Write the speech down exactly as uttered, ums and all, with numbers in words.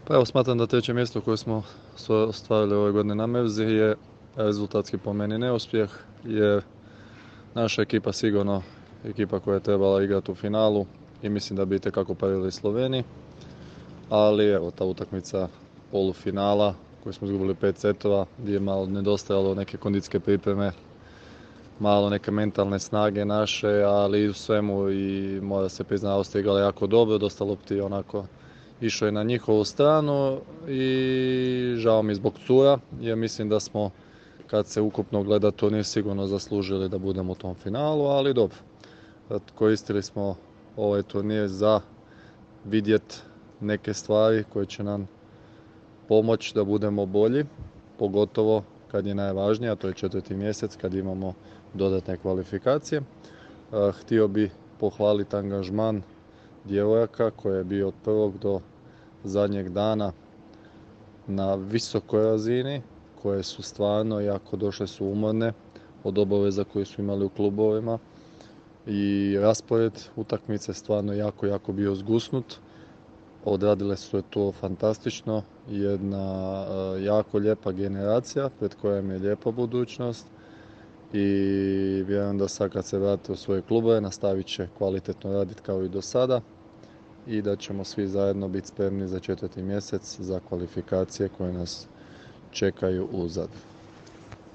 Pa evo, smatram da treće mjesto koje smo svo- ostvarili ove godine na Mevzi je rezultatski po meni neuspjeh, jer naša ekipa sigurno ekipa koja je trebala igrati u finalu i mislim da bi itekako parili Sloveniji, ali evo ta utakmica polufinala koju smo izgubili pet setova, gdje je malo nedostajalo neke kondicijske pripreme, malo neke mentalne snage naše, ali u svemu i mora se priznati Austrija igrala jako dobro, dosta lopti onako išlo je na njihovu stranu i žao mi zbog cura, jer mislim da smo, kad se ukupno gleda turnir, sigurno zaslužili da budemo u tom finalu, ali dobro. Koristili smo ovaj turnir za vidjet neke stvari koje će nam pomoći da budemo bolji, pogotovo kad je najvažnije, a to je četvrti mjesec kad imamo dodatne kvalifikacije. Htio bih pohvaliti angažman djevojaka koji je bio od prvog do zadnjeg dana na visokoj razini, koje su stvarno jako došle su umorne od obaveza koje su imali u klubovima i raspored utakmice stvarno jako, jako bio zgusnut. Odradile su je to fantastično, jedna jako lijepa generacija pred kojom je lijepa budućnost i vjerujem da sad kad se vrate u svoje klubove nastavit će kvalitetno raditi kao i do sada i da ćemo svi zajedno biti spremni za četvrti mjesec za kvalifikacije koje nas čekaju u Zadru.